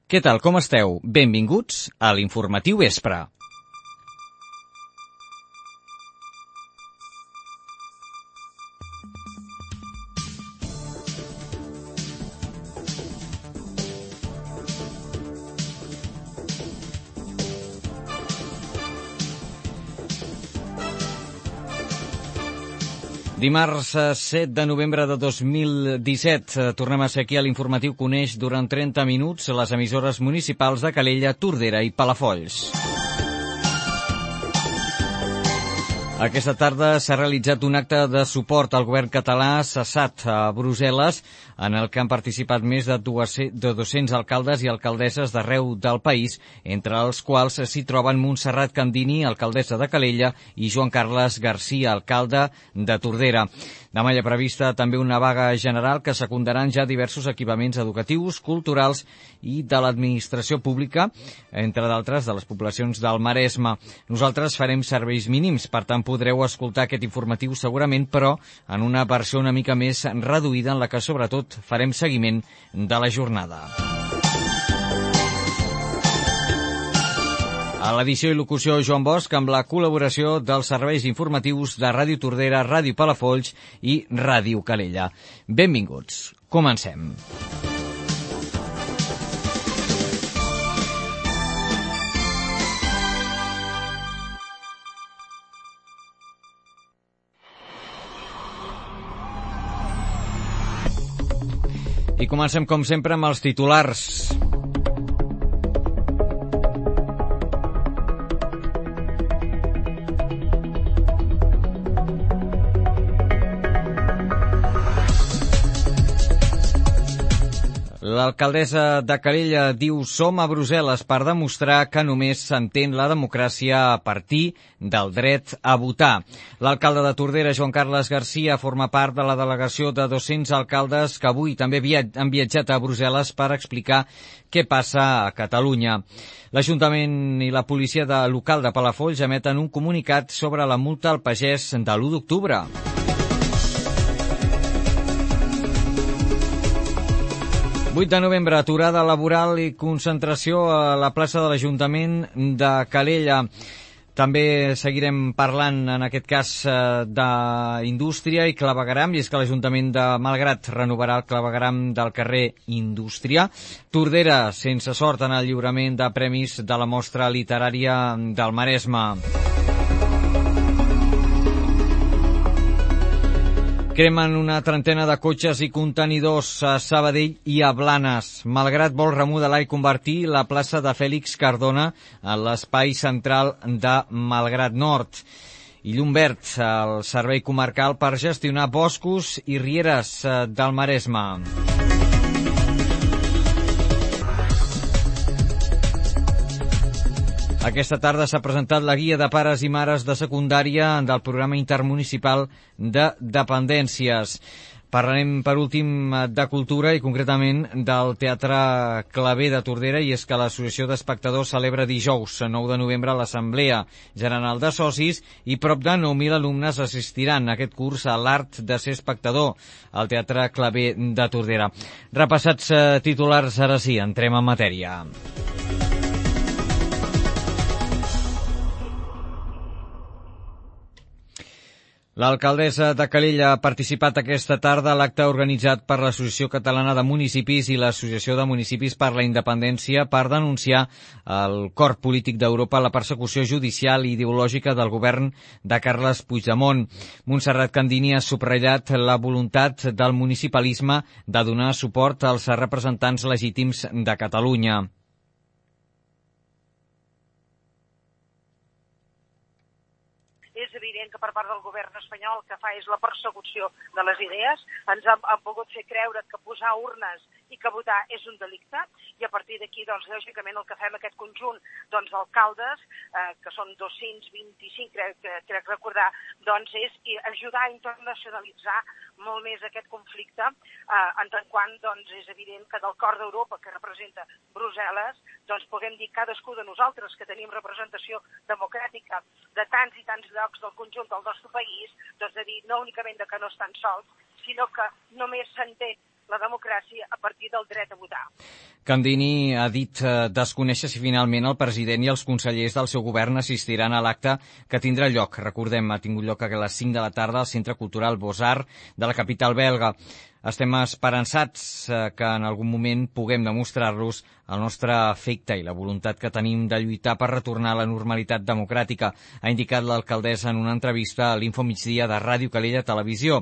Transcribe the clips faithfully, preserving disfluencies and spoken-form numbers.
Què tal, com esteu? Benvinguts a l'Informatiu Vespre. Dimarts set de novembre de dos mil disset. Tornem a ser aquí a l'Informatiu que uneix durant trenta minuts les emissores municipals de Calella, Tordera i Palafolls. Aquesta tarda s'ha realitzat un acte de suport al govern català cessat a Brussel·les, en el que han participat més de dos-cents alcaldes i alcaldesses d'arreu del país, entre els quals s'hi troben Montserrat Candini, alcaldessa de Calella, i Joan Carles Garcia, alcalde de Tordera. Demà hi ha prevista també una vaga general que secundaran ja diversos equipaments educatius, culturals i de l'administració pública, entre d'altres de les poblacions del Maresme. Nosaltres farem serveis mínims, per tant podreu escoltar aquest informatiu segurament, però en una versió una mica més reduïda en la que sobretot farem seguiment de la jornada. A l'edició i locució Joan Bosch, amb la col·laboració dels serveis informatius de Ràdio Tordera, Ràdio Palafolls i Ràdio Calella. Benvinguts. Comencem. I comencem, com sempre, amb els titulars. L'alcaldessa de Calella diu som a Brussel·les per demostrar que només s'entén la democràcia a partir del dret a votar. L'alcalde de Tordera, Joan Carles Garcia, forma part de la delegació de dos-cents alcaldes que avui també han viatjat a Brussel·les per explicar què passa a Catalunya. L'Ajuntament i la policia de local de Palafolls emeten un comunicat sobre la multa al pagès de l'u d'octubre. vuit de novembre, aturada laboral i concentració a la plaça de l'Ajuntament de Calella. També seguirem parlant, en aquest cas, d'indústria i clavegueram, i és que l'Ajuntament de Malgrat renovarà el clavegueram del carrer Indústria. Tordera, sense sort en el lliurament de premis de la mostra literària del Maresme. Cremen una trentena de cotxes i contenidors a Sabadell i a Blanes. Malgrat vol remodelar i convertir la plaça de Fèlix Cardona en l'espai central de Malgrat Nord. I llum verd al servei comarcal per gestionar boscos i rieres del Maresme. Aquesta tarda s'ha presentat la guia de pares i mares de secundària del programa intermunicipal de dependències. Parlarem, per últim, de cultura i concretament del Teatre Claver de Tordera, i és que l'Associació d'Espectadors celebra dijous, nou de novembre, l'Assemblea General de Socis i prop de nou mil alumnes assistiran a aquest curs a l'art de ser espectador al Teatre Claver de Tordera. Repassats titulars, ara sí, entrem en matèria. L'alcaldessa de Calella ha participat aquesta tarda a l'acte organitzat per l'Associació Catalana de Municipis i l'Associació de Municipis per la Independència per denunciar al cor polític d'Europa la persecució judicial i ideològica del govern de Carles Puigdemont. Montserrat Candini ha subratllat la voluntat del municipalisme de donar suport als representants legítims de Catalunya. És evident que per part del govern espanyol el que fa és la persecució de les idees. Ens han, han volgut fer creure que posar urnes i que votar és un delicte, i a partir d'aquí, doncs, lògicament, el que fem aquest conjunt doncs, d'alcaldes, eh, que són dos-cents vint-i-cinc, crec, crec recordar, doncs, és ajudar a internacionalitzar molt més aquest conflicte, eh, en tant quant, doncs, és evident que del cor d'Europa, que representa Brussel·les, doncs, puguem dir cadascú de nosaltres, que tenim representació democràtica de tants i tants llocs del conjunt del nostre país, doncs, de dir no únicament de que no estan sols, sinó que només s'entén la democràcia a partir del dret a votar. Candini ha dit eh, desconèixer si finalment el president i els consellers del seu govern assistiran a l'acte que tindrà lloc. Recordem, ha tingut lloc a les cinc de la tarda al Centre Cultural Beaux-Arts de la capital belga. Estem esperançats eh, que en algun moment puguem demostrar-los el nostre afecte i la voluntat que tenim de lluitar per retornar a la normalitat democràtica, ha indicat l'alcaldessa en una entrevista a l'Info Migdia de Ràdio Calella Televisió.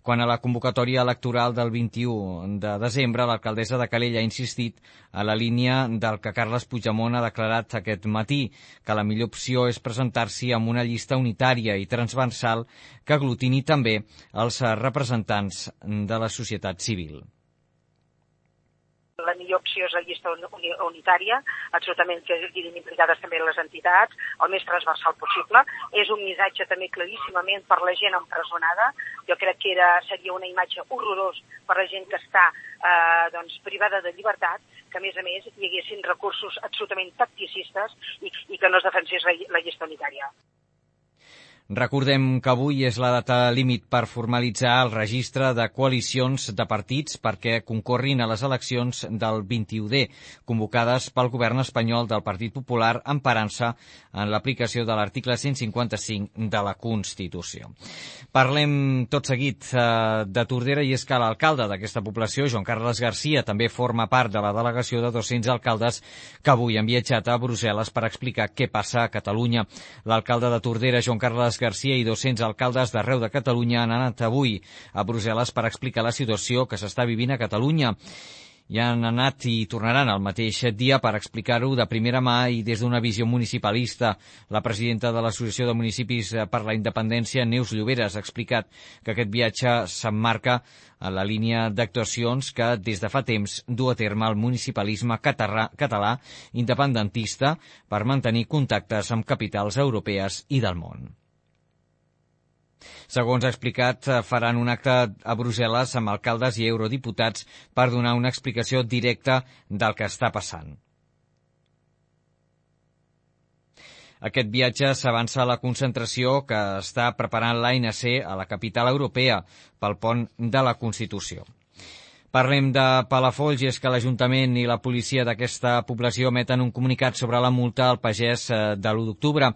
Quant a la convocatòria electoral del vint-i-u de desembre, l'alcaldessa de Calella ha insistit a la línia del que Carles Puigdemont ha declarat aquest matí, que la millor opció és presentar-s'hi amb una llista unitària i transversal que aglutini també els representants de la societat civil. La millor opció és la llista unitària, absolutament que quedin implicades també les entitats, el més transversal possible. És un missatge també claríssimament per la gent empresonada. Jo crec que era, seria una imatge horrorós per la gent que està eh, doncs, privada de llibertat, que a més a més hi haguessin recursos absolutament tacticistes i, i que no es defensés la, la llista unitària. Recordem que avui és la data límit per formalitzar el registre de coalicions de partits perquè concorrin a les eleccions del vint-i-u de, convocades pel govern espanyol del Partit Popular emparant-se en l'aplicació de l'article cent cinquanta-cinc de la Constitució. Parlem tot seguit eh, de Tordera i és que l'alcalde d'aquesta població, Joan Carles Garcia, també forma part de la delegació de dos-cents alcaldes que avui han viatjat a Brussel·les per explicar què passa a Catalunya. L'alcalde de Tordera, Joan Carles Garcia, i dos-cents alcaldes d'arreu de Catalunya han anat avui a Brussel·les per explicar la situació que s'està vivint a Catalunya. I han anat i tornaran el mateix dia per explicar-ho de primera mà i des d'una visió municipalista. La presidenta de l'Associació de Municipis per la Independència, Neus Lloberes, ha explicat que aquest viatge s'emmarca en la línia d'actuacions que des de fa temps du a terme el municipalisme català, català independentista per mantenir contactes amb capitals europees i del món. Segons ha explicat, faran un acte a Brussel·les amb alcaldes i eurodiputats per donar una explicació directa del que està passant. Aquest viatge s'avança a la concentració que està preparant l'A N C a la capital europea pel pont de la Constitució. Parlem de Palafolls i és que l'Ajuntament i la policia d'aquesta població emeten un comunicat sobre la multa al pagès de l'u d'octubre.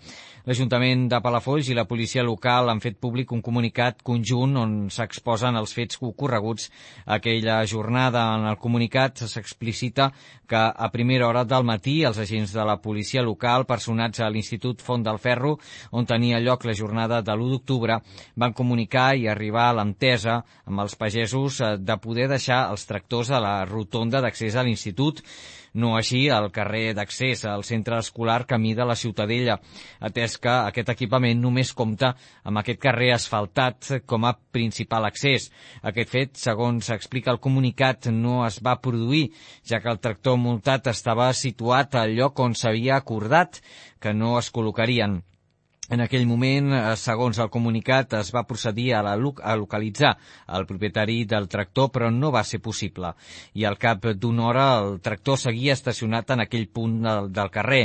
L'Ajuntament de Palafolls i la policia local han fet públic un comunicat conjunt on s'exposen els fets ocorreguts aquella jornada. En el comunicat s'explicita que a primera hora del matí els agents de la policia local, personats a l'Institut Font del Ferro, on tenia lloc la jornada de l'u d'octubre, van comunicar i arribar a l'entesa amb els pagesos de poder deixar els tractors a la rotonda d'accés a l'institut, no així al carrer d'accés al centre escolar Camí de la Ciutadella, atès que aquest equipament només compta amb aquest carrer asfaltat com a principal accés. Aquest fet, segons explica el comunicat, no es va produir, ja que el tractor multat estava situat al lloc on s'havia acordat que no es col·locarien. En aquell moment, segons el comunicat, es va procedir a, la, a localitzar el propietari del tractor, però no va ser possible. I al cap d'una hora el tractor seguia estacionat en aquell punt del, del carrer.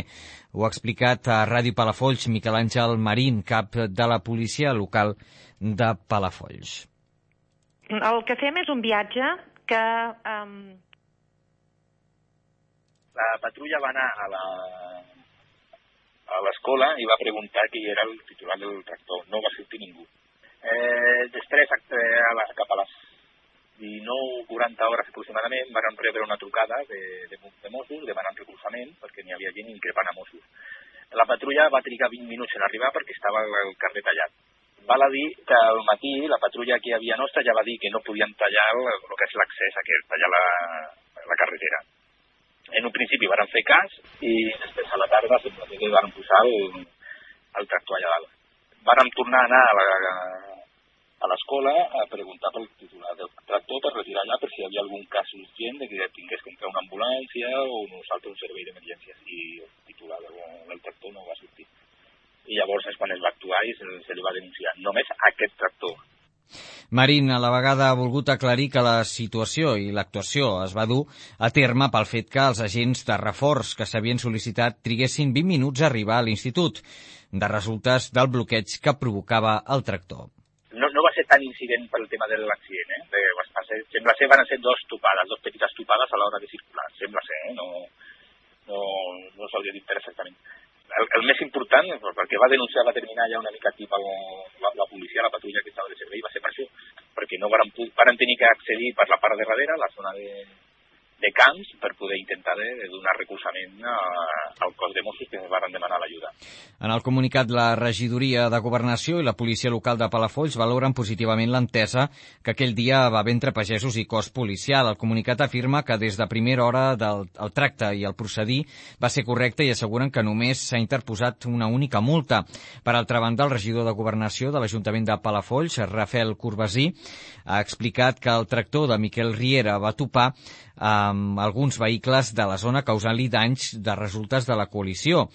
Ho ha explicat a Ràdio Palafolls Miquel Àngel Marín, cap de la policia local de Palafolls. El que fem és un viatge que... Um... La patrulla va anar a la... a l'escola i va preguntar qui era el titular del tractor. No va sortir ningú. Eh, després, a la, cap a les dinou quaranta hores aproximadament, van rebre una trucada de, de, de Mossos demanant recolzament perquè n'hi havia gent increpant a Mossos. La patrulla va trigar vint minuts en arribar perquè estava el carrer tallat. Val a dir que al matí la patrulla que hi havia nostra ja va dir que no podien tallar el, el que és l'accés, que és tallar la, la carretera. En un principi van fer cas i després a la tarda simplement van posar el, el tractor allà dalt. Vàrem tornar a anar a la, a l'escola a preguntar pel titular del tractor per retirar allà per si hi havia algun cas urgent de que tingués que entrar una ambulància o nosaltres un servei d'emergències, i el titular del, del tractor no va sortir. I llavors és quan es va actuar i se, se li va denunciar només aquest tractor. Marín a la vegada ha volgut aclarir que la situació i l'actuació es va dur a terme pel fet que els agents de reforç que s'havien sol·licitat triguessin vint minuts a arribar a l'institut, de resultes del bloqueig que provocava el tractor. No, no va ser tan incident pel tema de l'accident, eh? De, vas passar ser, sembla ser van ser dos topades, dos petites topades a l'hora de circular, sembla ser, eh? no, no, no s'hauria dit exactament. El, el més important, perquè va denunciar, va terminar ja una mica tip la, la policia, la patrulla que estava de servei, va ser per això, perquè no van, van tenir que accedir per la part de darrere, la zona de, de camps, per poder intentar de, de donar recolzament a, al cos de Mossos que ens van demanar l'ajuda. En el comunicat, la regidoria de Governació i la policia local de Palafolls valoren positivament l'entesa que aquell dia va haver entre pagesos i cos policial. El comunicat afirma que des de primera hora del el tracte i el procedir va ser correcte i asseguren que només s'ha interposat una única multa. Per altra banda, el regidor de Governació de l'Ajuntament de Palafolls, Rafael Corbasí, ha explicat que el tractor de Miquel Riera va topar amb alguns vehicles de la zona causant-li danys de resultes de la col·lisió.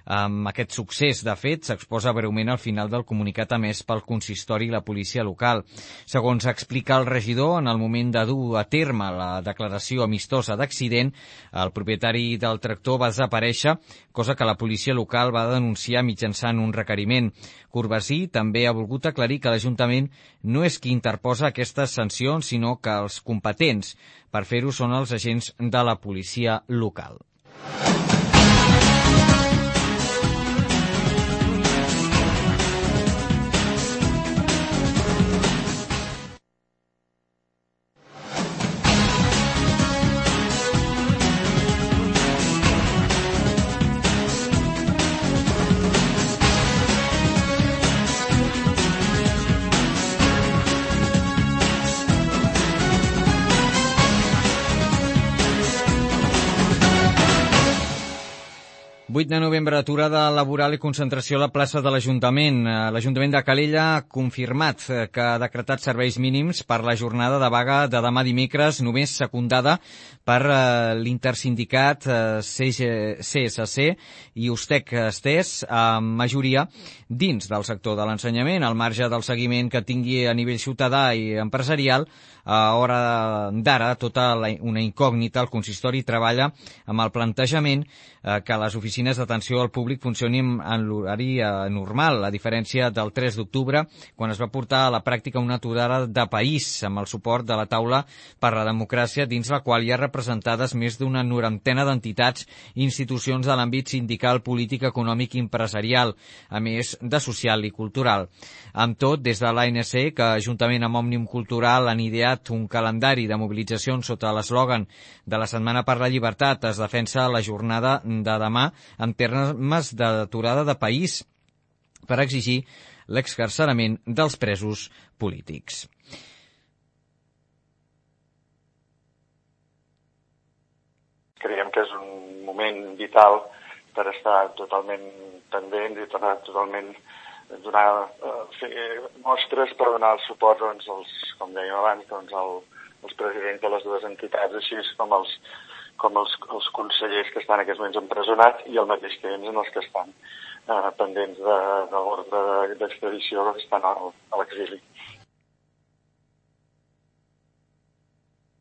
Amb aquest succés, de fet, s'exposa breument al final del comunicat emès pel consistori i la policia local. Segons explica el regidor, en el moment de dur a terme la declaració amistosa d'accident, el propietari del tractor va desaparèixer, cosa que la policia local va denunciar mitjançant un requeriment. Corbasí també ha volgut aclarir que l'Ajuntament no és qui interposa aquestes sancions, sinó que els competents per fer-ho són els agents de la policia local. vuit de novembre, aturada laboral i concentració a la plaça de l'Ajuntament. L'Ajuntament de Calella ha confirmat que ha decretat serveis mínims per la jornada de vaga de demà dimecres, només secundada per l'intersindicat C S C i Ustec Estés, amb majoria dins del sector de l'ensenyament, al marge del seguiment que tingui a nivell ciutadà i empresarial. A hora d'ara, tota una incògnita, el consistori treballa amb el plantejament que les oficines d'atenció al públic funcionin en l'horari normal, a diferència del tres d'octubre, quan es va portar a la pràctica una aturada de país amb el suport de la taula per la democràcia, dins la qual hi ha representades més d'una norantena d'entitats i institucions de l'àmbit sindical, polític, econòmic i empresarial, a més de social i cultural. Amb tot, des de l'A N C, que juntament amb Òmnium Cultural han ideat un calendari de mobilitzacions sota l'eslògan de la Setmana per la Llibertat, es defensa la jornada de demà en termes d'aturada de país per exigir l'excarcerament dels presos polítics. Creiem que és un moment vital per estar totalment pendents i tornar totalment donar, fer mostres per donar el suport, doncs, als, com dèiem abans, doncs, el, els presidents de les dues entitats, així com els, com els, els consellers que estan en aquests moments empresonats i al mateix temps en els que estan eh, pendents de, de l'ordre d'extradició que estan a l'exili.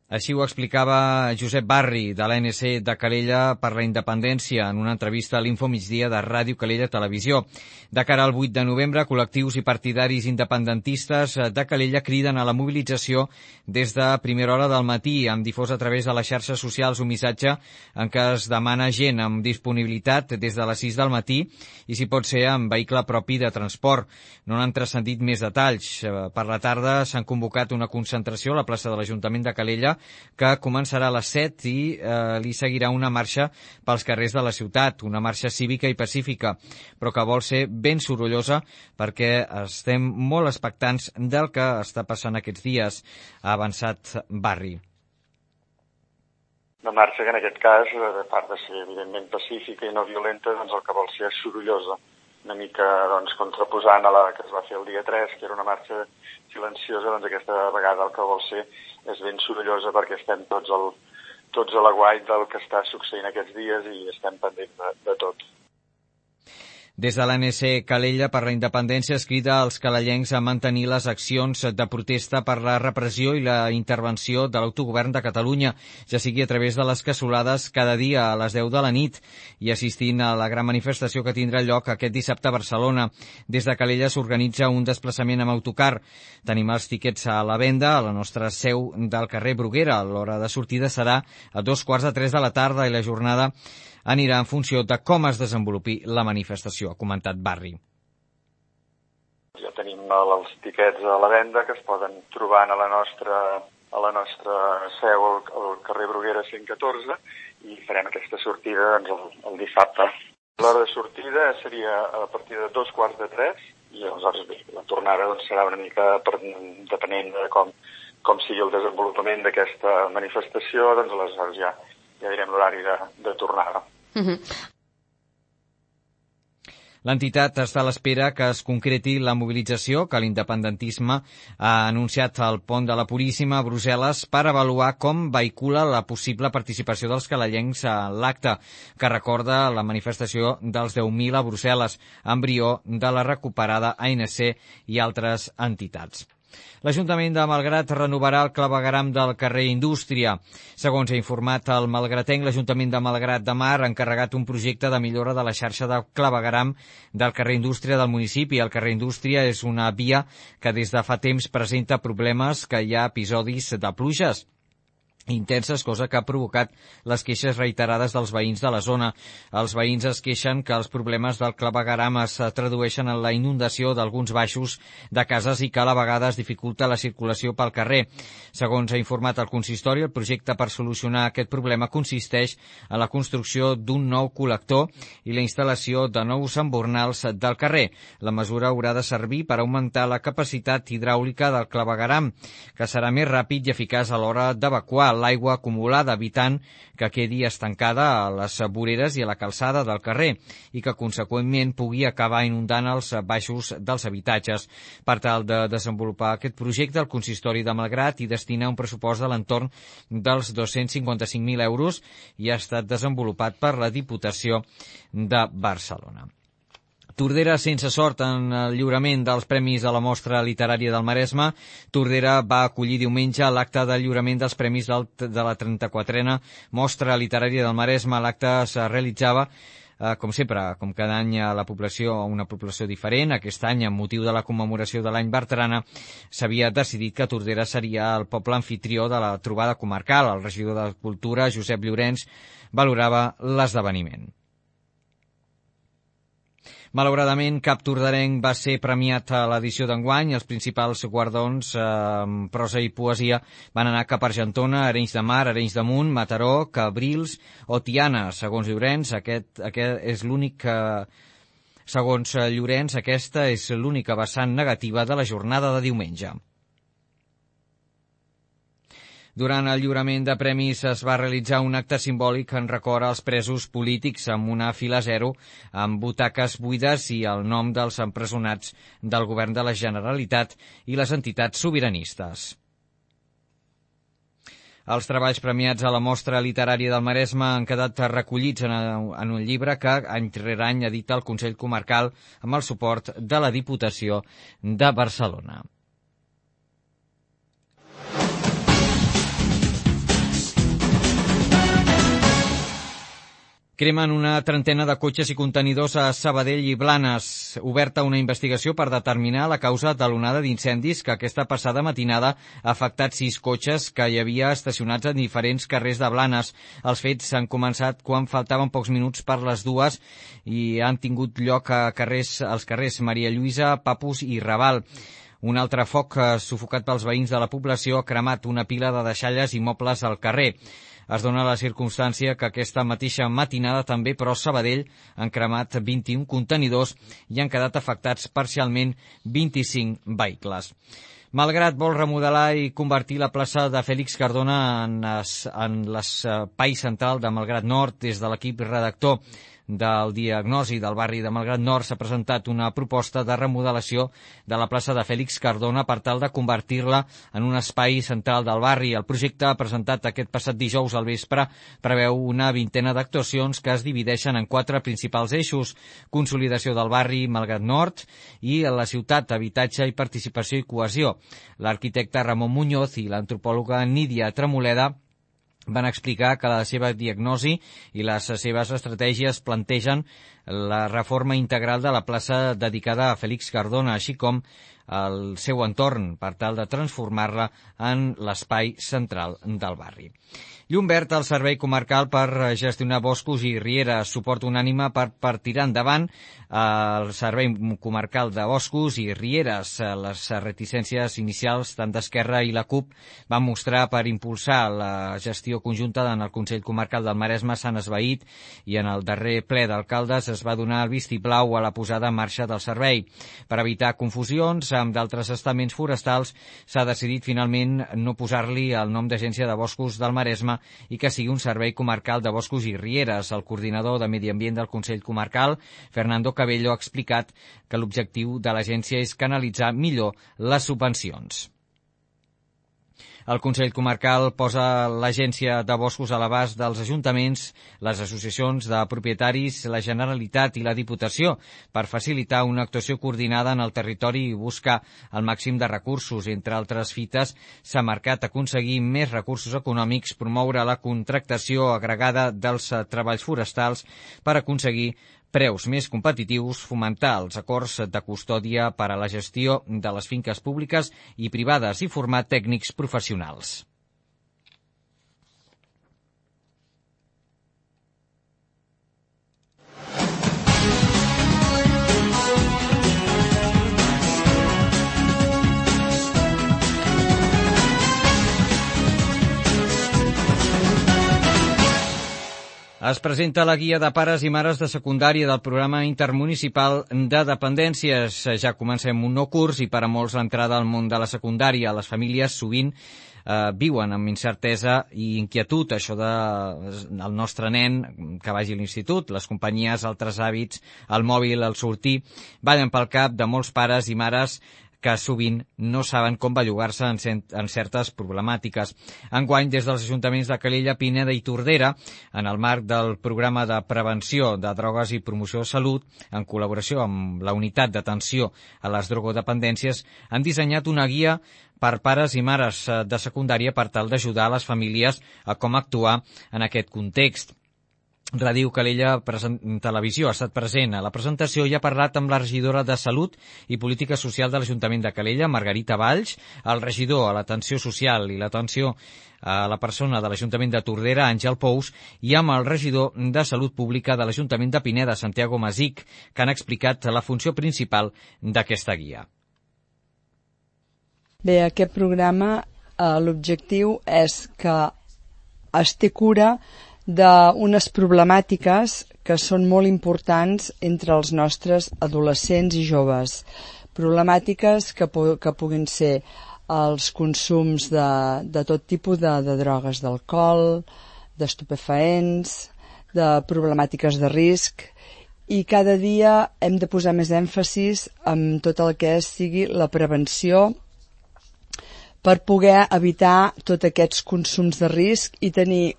Així ho explicava Josep Barri, de l'A N C de Calella per la Independència, en una entrevista a l'Info Migdia de Ràdio Calella Televisió. De cara al vuit de novembre, col·lectius i partidaris independentistes de Calella criden a la mobilització des de primera hora del matí, amb difós a través de les xarxes socials un missatge en què es demana gent amb disponibilitat des de les sis del matí i, si pot ser, amb vehicle propi de transport. No n'han transcendit més detalls. Per la tarda s'han convocat una concentració a la plaça de l'Ajuntament de Calella que començarà a les set i eh, li seguirà una marxa pels carrers de la ciutat, una marxa cívica i pacífica, però que vol ser ben sorollosa perquè estem molt expectants del que està passant aquests dies, ha avançat Barri. Una marxa que en aquest cas, a part de ser evidentment pacífica i no violenta, doncs el que vol ser és sorollosa, una mica doncs, contraposant a la que es va fer el dia tres, que era una marxa silenciosa, doncs aquesta vegada el que vol ser és ben sorollosa perquè estem tots, al, tots a l'aguait del que està succeint aquests dies i estem pendents de, de tot. Des de l'A N C Calella per la Independència es crida als calellencs a mantenir les accions de protesta per la repressió i la intervenció de l'autogovern de Catalunya, ja sigui a través de les cassolades cada dia a les deu de la nit i assistint a la gran manifestació que tindrà lloc aquest dissabte a Barcelona. Des de Calella s'organitza un desplaçament amb autocar. Tenim els tiquets a la venda a la nostra seu del carrer Bruguera. L'hora de sortida serà a dos quarts de tres de la tarda i la jornada anirà en funció de com es desenvolupi la manifestació, ha comentat Barri. Ja tenim els tiquets a la venda que es poden trobar a la nostra, a la nostra seu al, al carrer Bruguera cent catorze i farem aquesta sortida doncs, el, el dissabte. L'hora de sortida seria a partir de dos quarts de tres i aleshores bé, la tornada doncs, serà una mica per, depenent de com, com sigui el desenvolupament d'aquesta manifestació, doncs aleshores ja, ja direm l'horari de, de tornada. Uh-huh. L'entitat està a l'espera que es concreti la mobilització que l'independentisme ha anunciat al pont de la Puríssima a Brussel·les per avaluar com vehicula la possible participació dels calellencs a l'acte, que recorda la manifestació dels deu mil a Brussel·les, embrió de la recuperada A N C i altres entitats. L'Ajuntament de Malgrat renovarà el clavegueram del carrer Indústria. Segons ha informat el malgratenc, l'Ajuntament de Malgrat de Mar ha encarregat un projecte de millora de la xarxa de clavegueram del carrer Indústria del municipi. El carrer Indústria és una via que des de fa temps presenta problemes, que hi ha episodis de pluges intenses, cosa que ha provocat les queixes reiterades dels veïns de la zona. Els veïns es queixen que els problemes del clavegueram es tradueixen en la inundació d'alguns baixos de cases i que a la vegada es dificulta la circulació pel carrer. Segons ha informat el consistori, el projecte per solucionar aquest problema consisteix en la construcció d'un nou col·lector i la instal·lació de nous embornals del carrer. La mesura haurà de servir per augmentar la capacitat hidràulica del clavegueram, que serà més ràpid i eficaç a l'hora d'evacuar l'aigua acumulada, evitant que quedi estancada a les voreres i a la calçada del carrer i que, conseqüentment, pugui acabar inundant els baixos dels habitatges. Per tal de desenvolupar aquest projecte, el consistori de Malgrat hi destina un pressupost de l'entorn dels dos-cents cinquanta-cinc mil euros i ha estat desenvolupat per la Diputació de Barcelona. Tordera sense sort en el lliurament dels Premis a la Mostra Literària del Maresme. Tordera va acollir diumenge l'acte de lliurament dels Premis del, de la trenta-quatrena Mostra Literària del Maresme. L'acte es realitzava, eh, com sempre, com cada any a la població, una població diferent. Aquest any, amb motiu de la commemoració de l'any Bertrana, s'havia decidit que Tordera seria el poble anfitrió de la trobada comarcal. El regidor de Cultura, Josep Llorenç, valorava l'esdeveniment. Malauradament, cap torderenc va ser premiat a l'edició d'enguany. Els principals guardons, eh, prosa i poesia, van anar cap a Argentona, Arenys de Mar, Arenys de Munt, Mataró, Cabrils o Tiana. Segons Llorenç, aquest, aquest és l'únic que... Segons Llorenç, aquesta és l'única vessant negativa de la jornada de diumenge. Durant el lliurament de premis es va realitzar un acte simbòlic en record als presos polítics amb una fila zero, amb butaques buides i el nom dels empresonats del govern de la Generalitat i les entitats sobiranistes. Els treballs premiats a la Mostra Literària del Maresme han quedat recollits en, en un llibre que any rere any edita el Consell Comarcal amb el suport de la Diputació de Barcelona. Cremen una trentena de cotxes i contenidors a Sabadell i Blanes. Oberta una investigació per determinar la causa de l'onada d'incendis que aquesta passada matinada ha afectat sis cotxes que hi havia estacionats en diferents carrers de Blanes. Els fets s'han començat quan faltaven pocs minuts per les dues i han tingut lloc a carrers, als carrers Maria Lluïsa, Papus i Raval. Un altre foc sufocat pels veïns de la població ha cremat una pila de deixalles i mobles al carrer. Es dona la circumstància que aquesta mateixa matinada també, però a Sabadell, han cremat vint-i-un contenidors i han quedat afectats parcialment vint-i-cinc vehicles. Malgrat vol remodelar i convertir la plaça de Fèlix Cardona en, es, en l'espai central de Malgrat Nord, des de l'equip redactor del diagnosi del barri de Malgrat Nord s'ha presentat una proposta de remodelació de la plaça de Fèlix Cardona per tal de convertir-la en un espai central del barri. El projecte presentat aquest passat dijous al vespre preveu una vintena d'actuacions que es divideixen en quatre principals eixos: consolidació del barri Malgrat Nord i la ciutat, habitatge i participació i cohesió. L'arquitecte Ramon Muñoz i l'antropòloga Nídia Tremoleda van explicar que la seva diagnosi i les seves estratègies plantegen la reforma integral de la plaça dedicada a Fèlix Cardona, així com el seu entorn, per tal de transformar-la en l'espai central del barri. Llum verd al Servei Comarcal per gestionar boscos i rieres, suport unànime per, per tirar endavant el Servei Comarcal de Boscos i Rieres. Les reticències inicials tant d'Esquerra i la CUP van mostrar per impulsar la gestió conjunta en el Consell Comarcal del Maresme s'han esvaït i en el darrer ple d'alcaldes es va donar el vistiplau a la posada en marxa del servei. Per evitar confusions amb d'altres estaments forestals s'ha decidit finalment no posar-li el nom d'Agència de Boscos del Maresme i que sigui un servei comarcal de boscos i rieres. El coordinador de Medi Ambient del Consell Comarcal, Fernando Cabello, ha explicat que l'objectiu de l'agència és canalitzar millor les subvencions. El Consell Comarcal posa l'Agència de Boscos a l'abast dels ajuntaments, les associacions de propietaris, la Generalitat i la Diputació per facilitar una actuació coordinada en el territori i buscar el màxim de recursos. Entre altres fites, s'ha marcat aconseguir més recursos econòmics, promoure la contractació agregada dels treballs forestals per aconseguir preus més competitius, fomentar els acords de custòdia per a la gestió de les finques públiques i privades i formar tècnics professionals. Es presenta la guia de pares i mares de secundària del programa intermunicipal de dependències. Ja comencem un nou curs i per a molts l'entrada al món de la secundària. Les famílies sovint eh, viuen amb incertesa i inquietud. Això de el nostre nen que vagi a l'institut, les companyies, altres hàbits, el mòbil, el sortir, ballen pel cap de molts pares i mares que sovint no saben com bellugar-se en, en certes problemàtiques. Enguany, des dels ajuntaments de Calella, Pineda i Tordera, en el marc del programa de prevenció de drogues i promoció de salut, en col·laboració amb la unitat d'atenció a les drogodependències, han dissenyat una guia per pares i mares de secundària per tal d'ajudar les famílies a com actuar en aquest context. Ràdio Calella Televisió ha estat present a la presentació i ha parlat amb la regidora de Salut i Política Social de l'Ajuntament de Calella, Margarita Valls, el regidor a l'Atenció Social i l'Atenció a la persona de l'Ajuntament de Tordera, Àngel Pous, i amb el regidor de Salut Pública de l'Ajuntament de Pineda, Santiago Masic, que han explicat la funció principal d'aquesta guia. Bé, aquest programa, eh, l'objectiu és que es té cura d'unes problemàtiques que són molt importants entre els nostres adolescents i joves. Problemàtiques que, que puguin ser els consums de, de tot tipus de, de drogues, d'alcohol, d'estupefaents, de problemàtiques de risc, i cada dia hem de posar més èmfasis en tot el que sigui la prevenció per poder evitar tots aquests consums de risc i tenir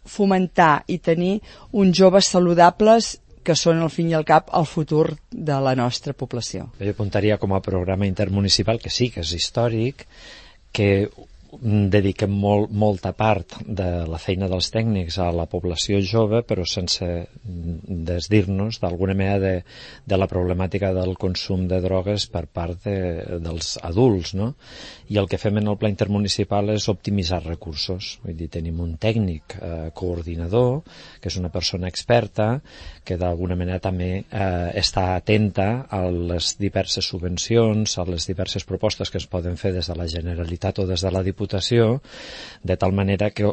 fomentar i tenir uns joves saludables que són al fin i al cap el futur de la nostra població. Jo apuntaria com a programa intermunicipal, que sí, que és històric, que dediquem molt, molta part de la feina dels tècnics a la població jove, però sense desdir-nos d'alguna manera de, de la problemàtica del consum de drogues per part de, dels adults, no? I el que fem en el pla intermunicipal és optimitzar recursos. Vull dir, tenim un tècnic eh, coordinador, que és una persona experta, que d'alguna manera també eh, està atenta a les diverses subvencions, a les diverses propostes que es poden fer des de la Generalitat o des de la Diputació, de tal manera que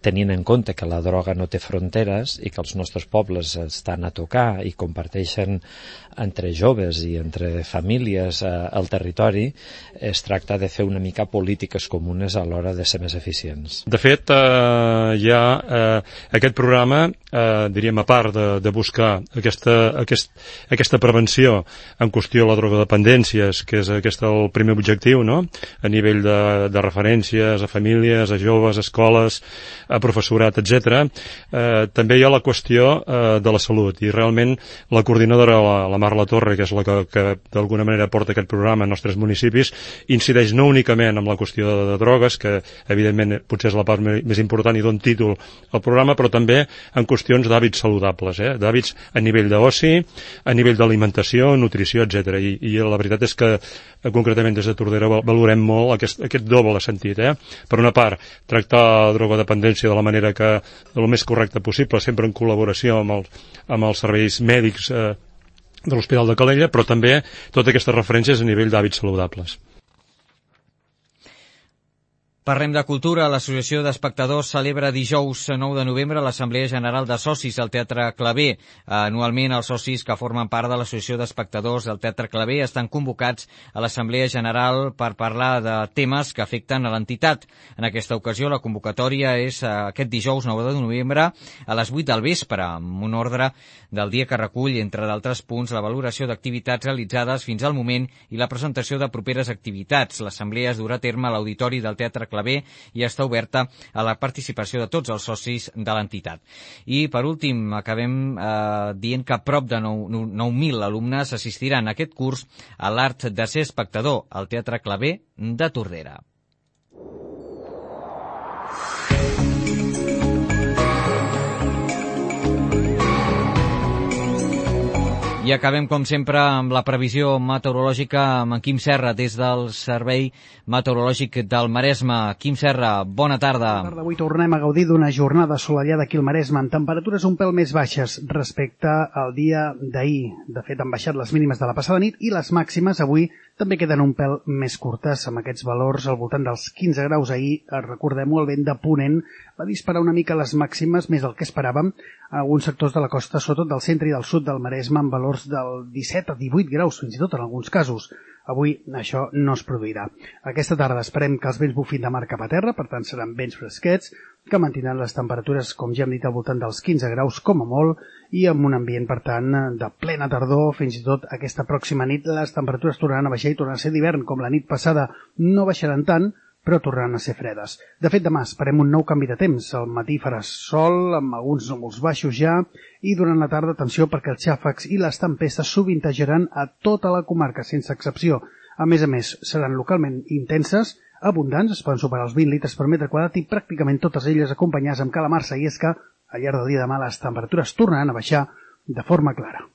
tenint en compte que la droga no té fronteres i que els nostres pobles estan a tocar i comparteixen entre joves i entre famílies eh, al territori, es tracta de fer una mica polítiques comunes a l'hora de ser més eficients. De fet, eh, hi ha eh, aquest programa, eh, diríem, a part de, de buscar aquesta, aquest, aquesta prevenció en qüestió de la drogodependències, que és aquest el primer objectiu, no?, a nivell de, de referències a famílies, a joves, a escoles, a professorat, etcètera. Eh, també hi ha la qüestió eh, de la salut, i realment la coordinadora, la, la Mar La Torre, que és la que, que d'alguna manera porta aquest programa als nostres municipis, incideix no únicament en la qüestió de, de drogues, que evidentment potser és la part més important i don títol al programa, però també en qüestions d'hàbits saludables, eh? d'hàbits a nivell d'oci, a nivell d'alimentació, nutrició, etcètera. I, I la veritat és que eh, concretament des de Tordera valorem molt aquest, aquest doble sentit. Eh? Per una part, tractar la drogodependència de la manera que, del més correcta possible, sempre en col·laboració amb, el, amb els serveis mèdics eh, de l'Hospital de Calella, però també totes aquestes referències a nivell d'hàbits saludables. Parlem de cultura. L'Associació d'Espectadors celebra dijous nou de novembre l'Assemblea General de Socis al Teatre Claver. Anualment, els socis que formen part de l'Associació d'Espectadors del Teatre Claver estan convocats a l'Assemblea General per parlar de temes que afecten a l'entitat. En aquesta ocasió, la convocatòria és aquest dijous nou de novembre a les vuit del vespre, amb un ordre del dia que recull, entre d'altres punts, la valoració d'activitats realitzades fins al moment i la presentació de properes activitats. L'assemblea es durà a terme a l'auditori del Teatre Claver i està oberta a la participació de tots els socis de l'entitat. I, per últim, acabem eh, dient que prop de nou mil alumnes assistiran a aquest curs a l'art de ser espectador al Teatre Claver de Tordera. I acabem, com sempre, amb la previsió meteorològica amb en Quim Serra, des del Servei Meteorològic del Maresme. Quim Serra, bona tarda. Bona tarda. Avui tornem a gaudir d'una jornada assolellada aquí al Maresme, amb temperatures un pèl més baixes respecte al dia d'ahir. De fet, han baixat les mínimes de la passada nit i les màximes avui també queden un pèl més curtes, amb aquests valors al voltant dels quinze graus. Ahir, recordem-ho, el vent de ponent va disparar una mica les màximes, més del que esperàvem, a alguns sectors de la costa, sobretot del centre i del sud del Maresme, amb valors del disset a divuit graus, fins i tot en alguns casos. Avui això no es produirà. Aquesta tarda esperem que els vents bufin de mar cap a terra, per tant seran vents fresquets, que mantindran les temperatures, com ja hem dit, al voltant dels quinze graus com a molt, i amb un ambient, per tant, de plena tardor. Fins i tot aquesta pròxima nit les temperatures tornaran a baixar i tornaran a ser d'hivern, com la nit passada no baixaran tant, però tornaran a ser fredes. De fet, demà esperem un nou canvi de temps. Al matí farà sol, amb alguns núvols baixos ja, i durant la tarda, atenció, perquè els xàfecs i les tempestes sovintejaran a tota la comarca, sense excepció. A més a més, seran localment intenses, abundants, es poden superar els vint litres per metre quadrat i pràcticament totes elles acompanyades amb calamarsa, i és que al llarg del dia de demà les temperatures tornaran a baixar de forma clara.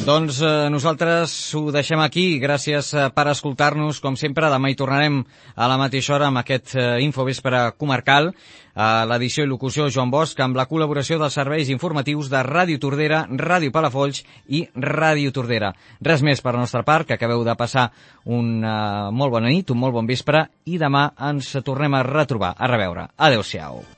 Doncs eh, nosaltres ho deixem aquí. Gràcies eh, per escoltar-nos, com sempre. Demà hi tornarem a la mateixa hora amb aquest eh, Infovespre comarcal. A l'edició i locució Joan Bosch, amb la col·laboració dels serveis informatius de Ràdio Tordera, Ràdio Palafolls i Ràdio Tordera. Res més per la nostra part, que acabeu de passar una molt bona nit, un molt bon vespre, i demà ens tornem a retrobar. A reveure. Adéu-siau.